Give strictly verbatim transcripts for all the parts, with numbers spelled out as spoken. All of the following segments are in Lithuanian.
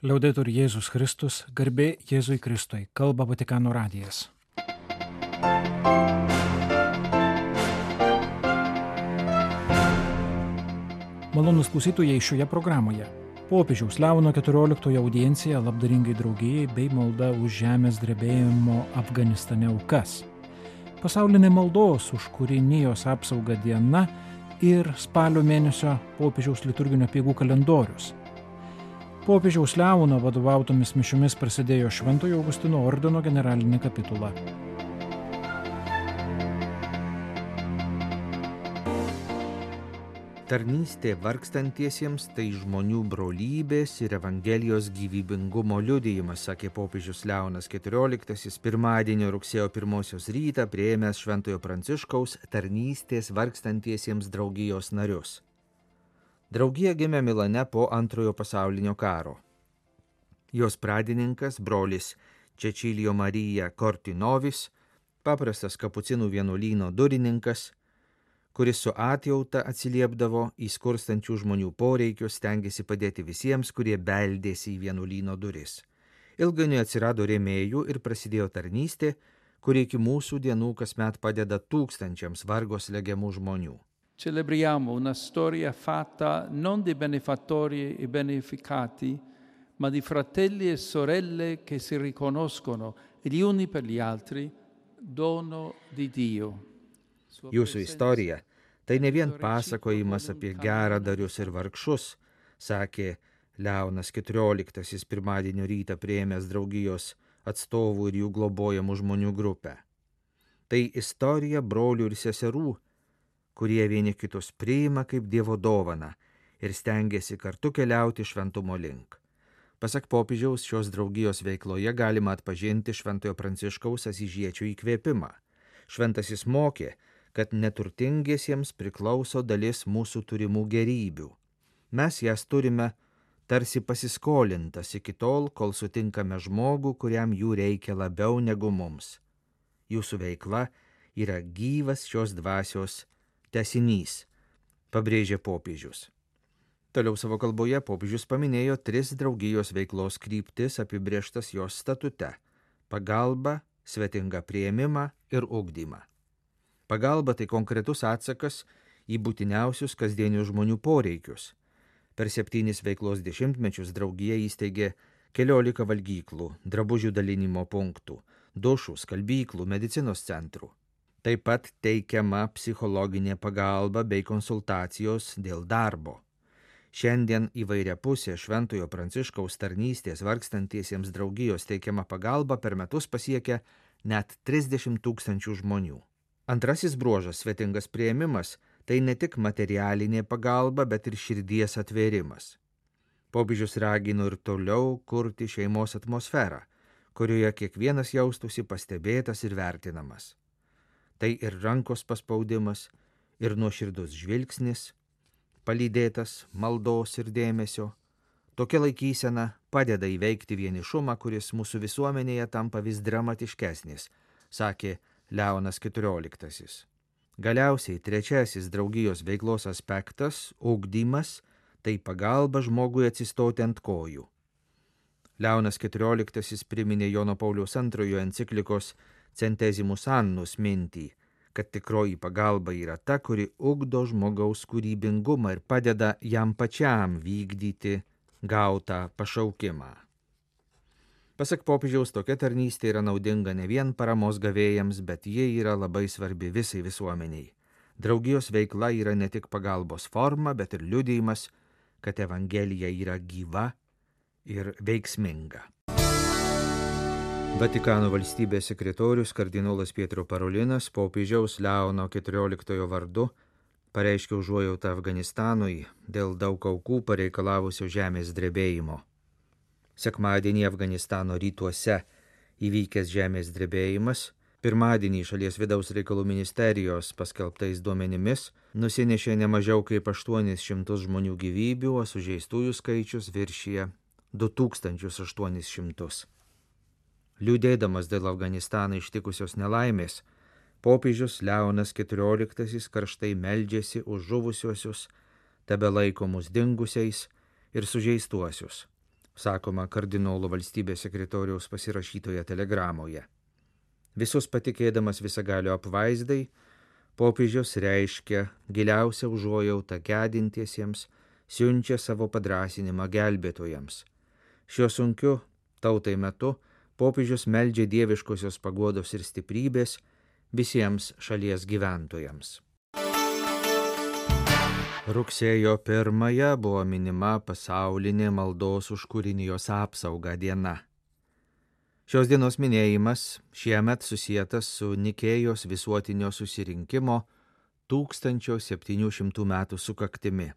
Liaudetur Jėzus Kristus, garbė Jėzui Kristui, kalba Vatikano radijas. Malonūs klausytojai šioje programoje. Popiežiaus Leono keturioliktojo audiencija labdaringai draugijai bei malda už žemės drebėjimo Afganistane aukas. Pasaulinė maldos už kūrinijos apsaugą diena ir spalio mėnesio popiežiaus liturginio apeigų kalendorius. Popiežiaus Leono vadovautomis mišiomis prasidėjo Šventojo Augustino ordino generalinė kapitula. Tarnystė vargstantiesiems tai žmonių brolybės ir Evangelijos gyvybingumo liudijimas, sakė popiežius Leonas keturioliktasis pirmadienio rugsėjo pirmosios rytą priėmęs Šventojo Pranciškaus tarnystės vargstantiesiems draugijos narius. Draugija gimė Milane po antrojo pasaulinio karo. Jos pradininkas, brolis Čečilijo Marija Kortinovis, paprastas kapucinų vienuolyno durininkas, kuris su atjauta atsiliepdavo į skurstančių žmonių poreikius, stengėsi padėti visiems, kurie beldėsi į vienuolyno duris. Ilgainiui atsirado rėmėjų ir prasidėjo tarnystė, kuri iki mūsų dienų kasmet padeda tūkstančiams vargo slegiamų žmonių. Celebriamo una storia fatta non di benefattori e beneficati, ma di fratelli e sorelle che si riconoscono gli uni per gli altri, dono di Dio. Jūsų istorija tai ne vien pasakojimas apie geradarius ir vargšus, sakė Leonas keturioliktasis pirmadienio rytą priėmęs draugijos atstovų ir jų globojamų žmonių grupę. Tai istorija brolių ir seserų, kurie vieni kitus priima kaip Dievo dovaną ir stengiasi kartu keliauti šventumo link. Pasak popiežiaus, šios draugijos veikloje galima atpažinti Šventojo Pranciškaus asyžiečio įkvėpimą. Šventasis mokė, kad neturtingiesiems priklauso dalis mūsų turimų gerybių. Mes jas turime tarsi pasiskolintas iki tol, kol sutinkame žmogų, kuriam jų reikia labiau negu mums. Jūsų veikla yra gyvas šios dvasios tęsinys, pabrėžė popiežius. Toliau savo kalboje popiežius paminėjo tris draugijos veiklos kryptis apibrėžtas jos statute – pagalba, svetingą priėmimą ir ugdymą. Pagalba tai konkretus atsakas į būtiniausius kasdienius žmonių poreikius. Per septynis veiklos dešimtmečius draugija įsteigė keliolika valgyklų, drabužių dalinimo punktų, dušų, skalbyklų, medicinos centrų. Taip pat teikiama psichologinė pagalba bei konsultacijos dėl darbo. Šiandien įvairiapusė Šventojo Pranciškaus tarnystės vargstantiesiems draugijos teikiama pagalba per metus pasiekia net trisdešimt tūkstančių žmonių. Antrasis bruožas, svetingas priėmimas, tai ne tik materialinė pagalba, bet ir širdies atvėrimas. Popiežius ragino ir toliau kurti šeimos atmosferą, kurioje kiekvienas jaustųsi pastebėtas ir vertinamas. Tai ir rankos paspaudimas, ir nuoširdus žvilgsnis, palydėtas maldos ir dėmesio. Tokia laikysena padeda įveikti vienišumą, kuris mūsų visuomenėje tampa vis dramatiškesnis, sakė Leonas keturioliktasis. Galiausiai trečiasis draugijos veiklos aspektas – ugdymas, tai pagalba žmogui atsistoti ant kojų. Leonas keturioliktasis priminė Jono Pauliaus antrojo enciklikos Centesimus Annus mintį, kad tikroji pagalba yra ta, kuri ugdo žmogaus kūrybingumą ir padeda jam pačiam vykdyti gautą pašaukimą. Pasak popiežiaus, tokia tarnystė yra naudinga ne vien paramos gavėjams, bet jie yra labai svarbi visai visuomeniai. Draugijos veikla yra ne tik pagalbos forma, bet ir liudijimas, kad Evangelija yra gyva ir veiksminga. Vatikano valstybės sekretorius kardinolas Pietro Parolinas popiežiaus Leono keturioliktojo vardu pareiškė užuojautą Afganistanui dėl daug aukų pareikalavusio žemės drebėjimo. Sekmadienį Afganistano rytuose įvykęs žemės drebėjimas, pirmadienį šalies vidaus reikalų ministerijos paskelbtais duomenimis nusinešė ne mažiau kaip aštuonis šimtus žmonių gyvybių, o sužeistųjų skaičius viršija du tūkstančius aštuonis šimtus. Liūdėdamas dėl Afganistaną ištikusios nelaimės, popiežius Leonas keturioliktasis karštai meldžiasi už žuvusiuosius, tebelaikomus dingusiais ir sužeistuosius. sakoma kardinolo valstybės sekretoriaus pasirašytoje telegramoje. Visus patikėdamas visagalio apvaizdai, popiežius reiškia giliausią užuojautą gedintiesiems, siunčia savo padrasinimą gelbėtojams. Šiuo sunkiu tautai metu popiežius meldžia dieviškosios paguodos ir stiprybės visiems šalies gyventojams. Rugsėjo pirmąją buvo minima pasaulinė maldos už kūrinijos apsaugą diena. Šios dienos minėjimas šiemet susietas su Nikėjos visuotinio susirinkimo tūkstančio septynių šimtų metų sukaktimi.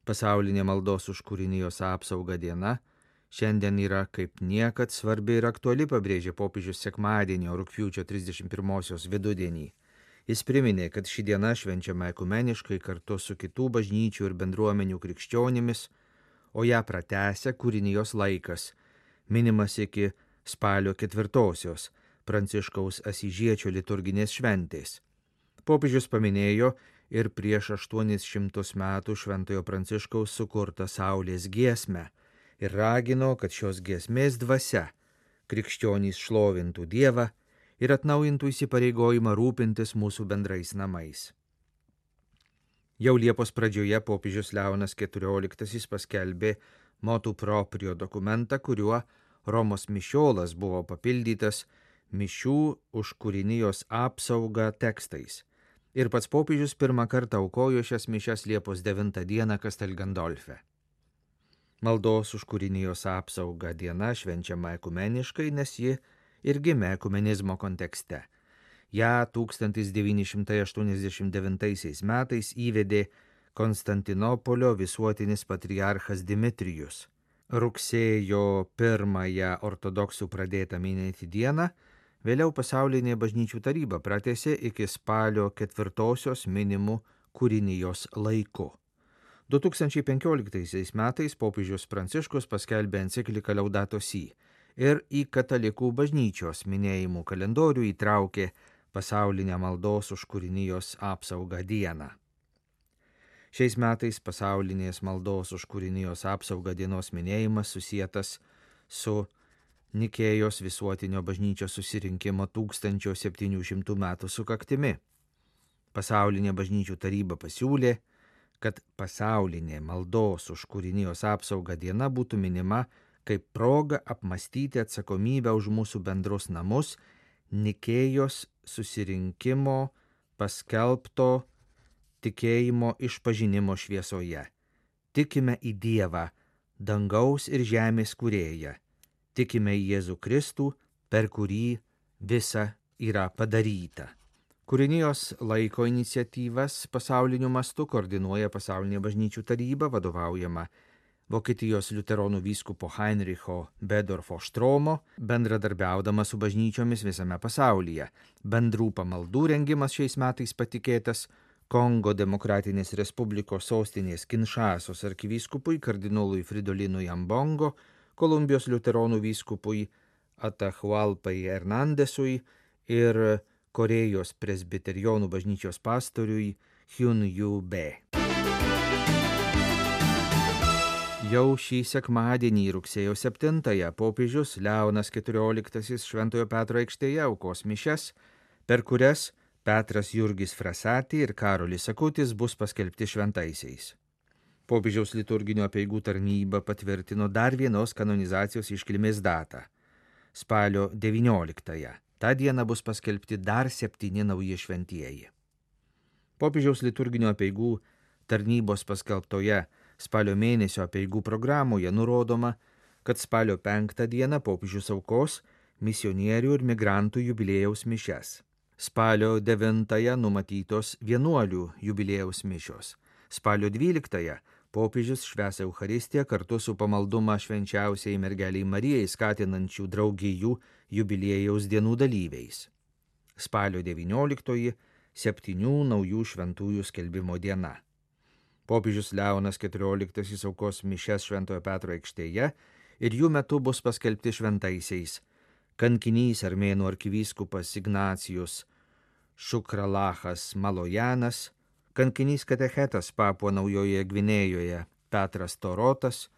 Pasaulinė maldos už kūrinijos apsaugą diena šiandien yra kaip niekad svarbi ir aktuali, pabrėžė popiežius sekmadienio rugpjūčio trisdešimt pirmosios vidudienį. Jis priminė, kad ši diena švenčiama ekumeniškai kartu su kitų bažnyčių ir bendruomenių krikščionimis, o ją pratęsia kūrinijos laikas, minimas iki spalio ketvirtosios Pranciškaus Asyžiečio liturginės šventės. Popiežius paminėjo ir prieš aštuonis šimtus metų Šventojo Pranciškaus sukurtą Saulės giesmę ir ragino, kad šios giesmės dvasia krikščionys šlovintų Dievą ir atnaujintų įsipareigojimą rūpintis mūsų bendrais namais. Jau Liepos pradžioje popiežius Leonas keturioliktasis paskelbė motu proprio dokumentą, kuriuo Romos mišiolas buvo papildytas mišių už kūrinijos apsaugą tekstais. Ir pats popiežius pirmą kartą aukojo šias mišias Liepos devintą dieną Castel Gandolfe. Maldos už kūrinijos apsaugą diena švenčiama ekumeniškai, nes ji ir gimė ekumenizmo kontekste. Ja tūkstantis devyni šimtai aštuoniasdešimt devintaisiais metais įvedė Konstantinopolio visuotinis patriarchas Dimitrijus. Rugsėjo pirmąją ortodoksų pradėtą minėti dieną, vėliau pasaulinė bažnyčių taryba pratęsė iki spalio ketvirtosios minimų kūrinijos laiku. du tūkstančiai penkioliktaisiais metais popiežius Pranciškus paskelbė encikliką Laudato Si ir į katalikų bažnyčios minėjimų kalendorių įtraukė pasaulinę maldos už kūrinijos apsaugą dieną. Šiais metais pasaulinės maldos už kūrinijos apsaugą dienos minėjimas susietas su Nikėjos visuotinio bažnyčios susirinkimo tūkstančio septynių šimtų metų sukaktimi. Pasaulinė bažnyčių taryba pasiūlė, kad pasaulinė maldos už kūrinijos apsaugą diena būtų minima kaip proga apmastyti atsakomybę už mūsų bendrus namus Nikėjos susirinkimo paskelbto tikėjimo išpažinimo šviesoje. Tikime į Dievą, dangaus ir žemės kūrėją. Tikime į Jėzų Kristų, per kurį visa yra padaryta. Kūrinijos laiko iniciatyvas pasauliniu mastu koordinuoja Pasaulinė bažnyčių taryba, vadovaujama Vokietijos liuteronų vyskupo Heinricho Bedorfo Štromo, bendradarbiaudama su bažnyčiomis visame pasaulyje. Bendrų pamaldų rengimas šiais metais patikėtas Kongo Demokratinės Respublikos sostinės Kinšasos arkivyskupui kardinolui Fridolinui Ambongo, Kolumbijos liuteronų vyskupui Atahualpai Hernandesui ir Korėjos presbiterionų bažnyčios pastoriui Hyun Yu Be. Jau šį sekmadienį rugsėjo septintąją popiežius Leonas keturioliktasis Šventojo Petro aikštėje aukos mišias, per kurias Petras Jurgis Frasati ir Karolis Akutis bus paskelbti šventaisiais. Popiežiaus liturginio apeigų tarnyba patvirtino dar vienos kanonizacijos iškilmės datą – spalio devynioliktąją. Ta diena bus paskelbti dar septyni nauji šventieji. Popiežiaus liturginio apeigų tarnybos paskelbtoje spalio mėnesio apeigų programoje nurodoma, kad spalio penktą dieną popiežius aukos misionierių ir migrantų jubiliejaus mišias. Spalio devintąją numatytos vienuolių jubiliejaus mišios. Spalio dvyliktąją popiežius švęs Eucharistiją kartu su pamaldumą švenčiausiai mergeliai Marijai skatinančių draugijų jubiliejaus dienų dalyviais. Spalio devynioliktoji septynių naujų šventųjų skelbimo diena. Popiežius Leonas keturioliktasis aukos mišias Šventojo Petro aikštėje ir jų metu bus paskelbti šventaisiais kankinys armėnų arkivyskupas Ignacijus Šukralachas Malojanas, kankinys katechetas Papua Naujojoje Gvinėjoje Petras Torotas,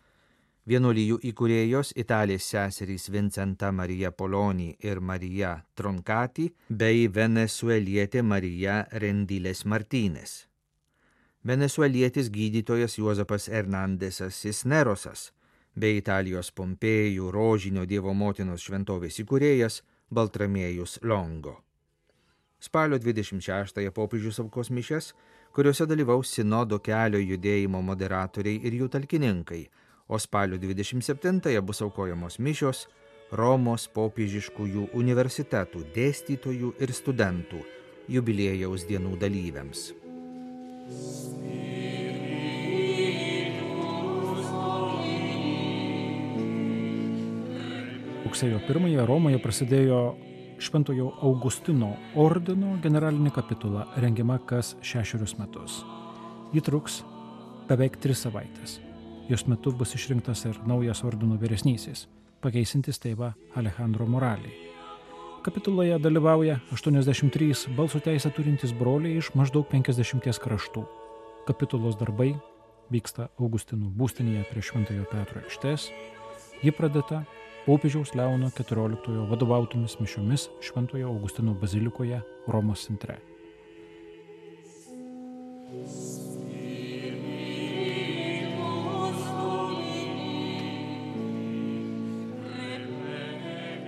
Vienuolijų įkūrėjos italės seserys Vincenta Marija Poloni ir Marija Troncati bei venesuelietė Marija Rendiles Martínez. Venesuelietis gydytojas Juozapas Hernandesas Cisnerosas bei Italijos Pompėjų rožinio Dievo motinos šventovės įkūrėjas Baltramiejus Longo. Spalio dvidešimt šeštąją popiežius aukos mišias, kuriuose dalyvaus sinodo kelio judėjimo moderatoriai ir jų talkininkai, o spalio dvidešimt septintąją bus aukojamos mišios Romos popiežiškųjų universitetų dėstytojų ir studentų jubiliejaus dienų dalyviams. Rugsėjo pirmąją Romoje prasidėjo Šventojo Augustino ordino generalinė kapitula, rengiama kas šešerius metus. Ji truks beveik tris savaitės. Jos metu bus išrinktas ir naujas ordino vyresnysis, pakeisintis tėvą Alejandro Moralį. Kapituloje dalyvauja aštuoniasdešimt trys balso teisę turintys broliai iš maždaug penkiasdešimties kraštų. Kapitulos darbai vyksta Augustinų būstinėje prie Šventojo Petro aikštės. Ji pradėta popiežiaus Leono keturioliktojo vadovautomis mišiomis Šventojo Augustino bazilikoje Romos centre.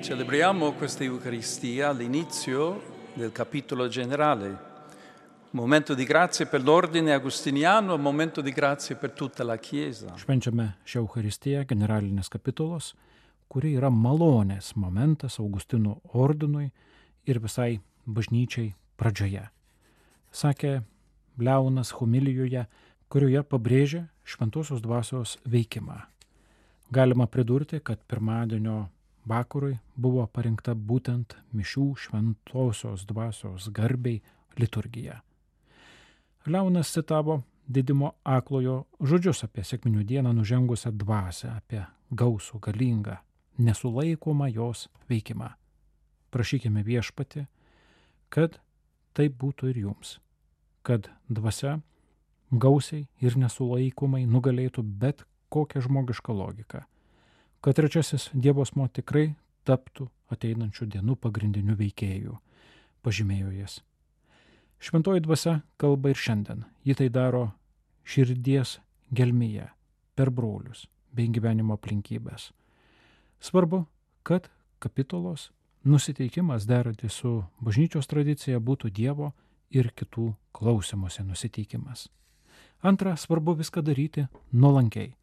Celebriamo questa Eucaristia all'inizio del capitolo generale, momento di grazia per l'ordine agustiniano, momento di grazia per tutta la Chiesa. Švenčiame šią Eucharistiją generalinės kapitulos, kuri yra malonės momentas Augustinų ordinui ir visai bažnyčiai pradžioje. Sakė Leonas homilijoje, kurioje pabrėžė šventosios dvasios veikimą. Galima pridurti, kad pirmadienio vakarui buvo parinkta būtent mišių šventosios dvasios garbei liturgija. Leonas citavo Didimo Aklojo žodžius apie sekminių dieną nužengusią dvasią, apie gausų, galingą, nesulaikomą jos veikimą. Prašykime Viešpatį, kad taip būtų ir jums, kad dvasia gausiai ir nesulaikomai nugalėtų bet kokią žmogišką logiką, kad trečiasis Dievo asmuo tikrai taptų ateinančių dienų pagrindiniu veikėju, pažymėjo jis. Šventoji dvasia kalba ir šiandien. Ji tai daro širdies gelmėje, per brolius bei gyvenimo aplinkybės. Svarbu, kad kapitulos nusiteikimas derantis su bažnyčios tradicija būtų Dievo ir kitų klausymosi nusiteikimas. Antra, svarbu viską daryti nuolankiai.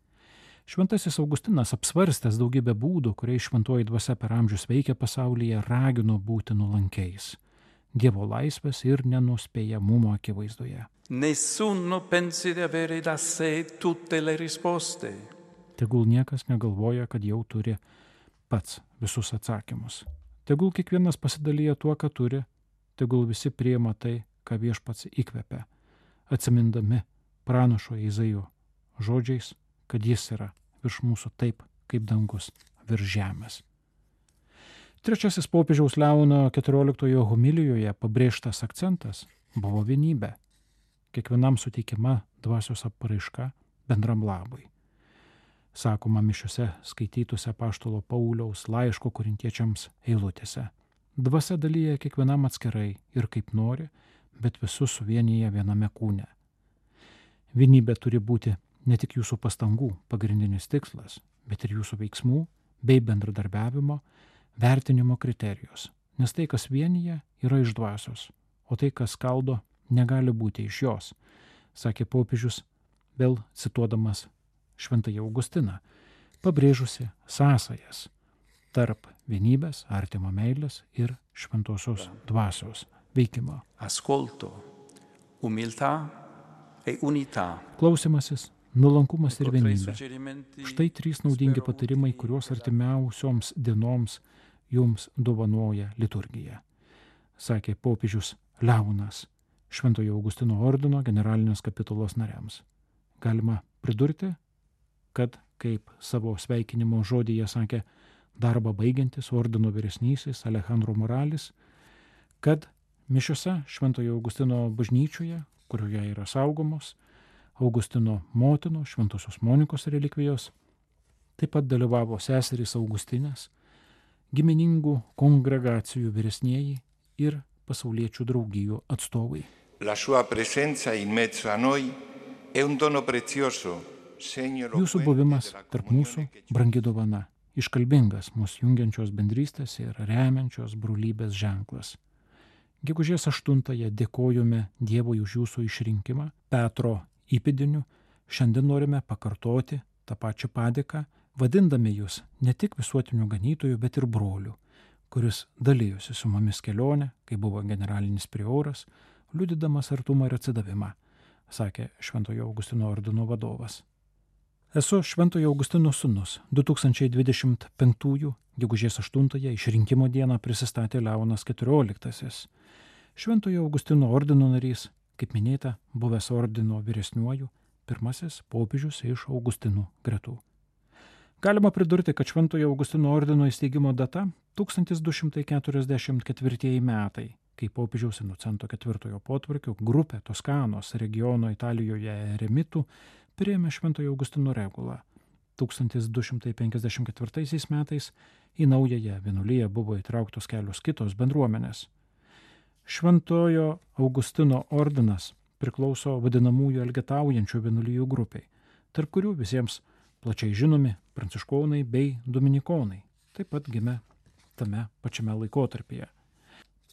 Šventasis Augustinas, apsvarstęs daugybę būdų, kuriais šventoji dvasia per amžius veikia pasaulyje, ragino būti nuolankiais Dievo laisvės ir nenuspėjamumo akivaizdoje. Nessuno pensi di avere da sé tutte le risposte. Tegul niekas negalvoja, kad jau turi pats visus atsakymus. Tegul kiekvienas pasidalyja tuo, ką turi, tegul visi priima tai, ką Viešpats įkvepia, atsimindami pranašo Izaijo žodžiais, kad jis yra virš mūsų taip, kaip dangus virš žemės. Trečiasis popiežiaus Leono keturioliktojo homilijoje pabrėžtas akcentas buvo vienybė, kiekvienam suteikiama dvasios apraiška bendram labui. Sakoma mišiuose skaitytose apaštalo Pauliaus laiško korintiečiams eilutėse. Dvasia dalyja kiekvienam atskirai ir kaip nori, bet visus suvienyje viename kūne. Vienybė turi būti ne tik jūsų pastangų pagrindinis tikslas, bet ir jūsų veiksmų bei bendradarbiavimo, vertinimo kriterijus, nes tai, kas vienyje, yra iš dvasios, o tai, kas skaldo, negali būti iš jos, sakė popiežius, vėl cituodamas Šventąjį Augustiną, pabrėžusi sąsajas tarp vienybės, artimo meilės ir šventosios dvasios veikimo. Ascolto, umiltà e unità. Klausimasis, nuolankumas ir vienybė. Štai trys naudingi patarimai, kuriuos artimiausioms dienoms jums dovanoja liturgija, sakė popiežius Leonas Šventojo Augustino ordino generalinės kapitulos nariams. Galima pridurti, kad, kaip savo sveikinimo žodyje sakė darbą baigiantis ordino vyresnysis Alejandro Moralis, kad mišiose Šventojo Augustino bažnyčioje, kurioje yra saugomos Augustino motino Šventosios Monikos relikvijos, Taip pat dalyvavo seserys Augustinės, giminingų kongregacijų vyresnieji ir pasauliečių draugijų atstovai. La sua presenza in mezzo a noi è un dono prezioso, segno Jūsų buvimas tarp mūsų brangi dovana, iškalbingas mūsų jungiančios bendrystės ir remiančios brolybės ženklas. Gegužės aštuntąją dėkojome Dievui už jūsų išrinkimą Petro įpėdiniu. Šiandien norime pakartoti tą pačią padėką, vadindami jūs ne tik visuotiniu ganytoju, bet ir broliu, kuris dalyjosi su mumis kelionę, kai buvo generalinis prioras, liudydamas artumą ir atsidavimą, sakė Šventojo Augustino ordino vadovas. Esu Šventojo Augustino sūnus. du tūkstančiai dvidešimt penktųjų gegužės aštuntąją išrinkimo dieną prisistatė Leonas keturioliktasis. Šventojo Augustino ordino narys, kaip minėta, buvęs ordino vyresniuoju, pirmasis popiežius iš Augustinų gretų. Galima pridurti, kad Šventojo Augustino ordino įsteigimo data tūkstantis du šimtai keturiasdešimt ketvirtieji metai, kai popiežiaus Inocento ketvirtojo potvarkio grupė Toskanos regiono Italijoje eremitų priėmė Šventojo Augustino regulą. tūkstantis du šimtai penkiasdešimt ketvirtaisiais metais į naująją vienuoliją buvo įtrauktos kelios kitos bendruomenės. Šventojo Augustino ordinas priklauso vadinamųjų elgetaujančių vienuolijų grupiai, tarp kurių visiems plačiai žinomi pranciškonai bei dominikonai, taip pat gimė tame pačiame laikotarpyje.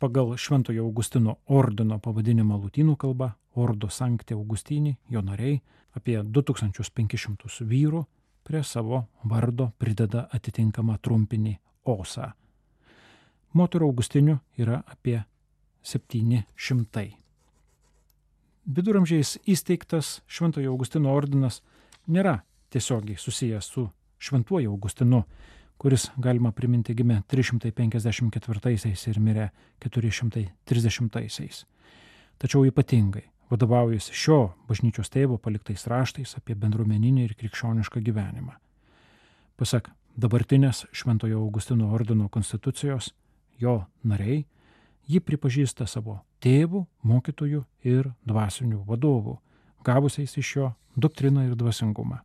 Pagal Šventojo Augustino ordino pavadinimą lotynų kalba Ordo Sancti Augustini, jo nariai, apie du tūkstančius penkis šimtus vyrų prie savo vardo prideda atitinkamą trumpinį osą. Moterų augustinių yra apie septyni šimtai. Viduramžiais įsteigtas Šventojo Augustino ordinas nėra tiesiogiai susijęs su Šventuoju Augustinu, kuris, galima priminti, gimė trys šimtai penkiasdešimt ketvirtaisiais ir mirė keturi šimtai trisdešimtaisiais. Tačiau ypatingai vadovaujasi šio bažnyčios tėvo paliktais raštais apie bendruomeninį ir krikščionišką gyvenimą. Pasak dabartinės Šventojo Augustino ordino konstitucijos, jo nariai jį pripažįsta savo tėvų, mokytojų ir dvasinių vadovų, gavusiais iš jo doktriną ir dvasingumą.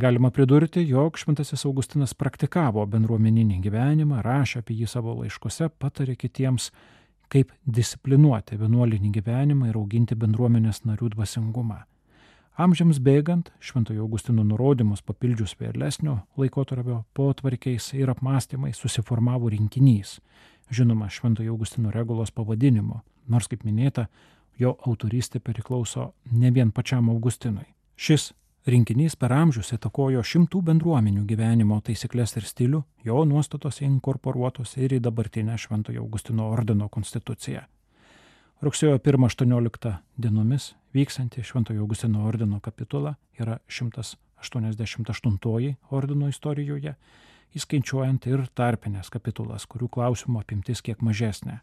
Galima pridurti, jog Šventasis Augustinas praktikavo bendruomeninį gyvenimą, rašė apie jį savo laiškuose, patarė kitiems, kaip disciplinuoti vienuolinį gyvenimą ir auginti bendruomenės narių dvasingumą. Amžiams bėgant, Šventojo Augustino nurodymus papildžius vėlesnio laikotarpio potvarkiais ir apmąstymais susiformavo rinkinys, žinoma Šventojo Augustino regulos pavadinimu, nors, kaip minėta, jo autorystė priklauso ne vien pačiam Augustinui. Šis rinkinys per amžius įtakojo šimtų bendruomenių gyvenimo taisyklės ir stilių, jo nuostatos inkorporuotos ir į dabartinę Šventojo Augustino ordino konstituciją. Rugsėjo pirmą aštuonioliktą dienomis vyksanti Šventojo Augustino ordino kapitula yra šimtas aštuoniasdešimt aštuntoji ordino istorijoje, įskaičiuojant ir tarpinės kapitulas, kurių klausimų apimtis kiek mažesnė.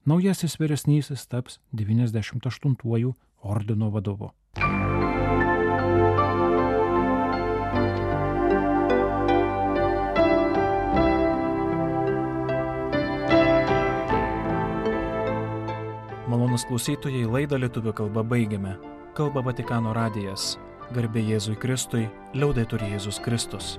Naujasis vyresnysis taps devyniasdešimt aštuntuoju ordino vadovu. Malonūs klausytojai, laidą lietuvių kalba baigiame. Kalba Vatikano radijas. Garbė Jėzui Kristui, liaudetur Jėzus Kristus.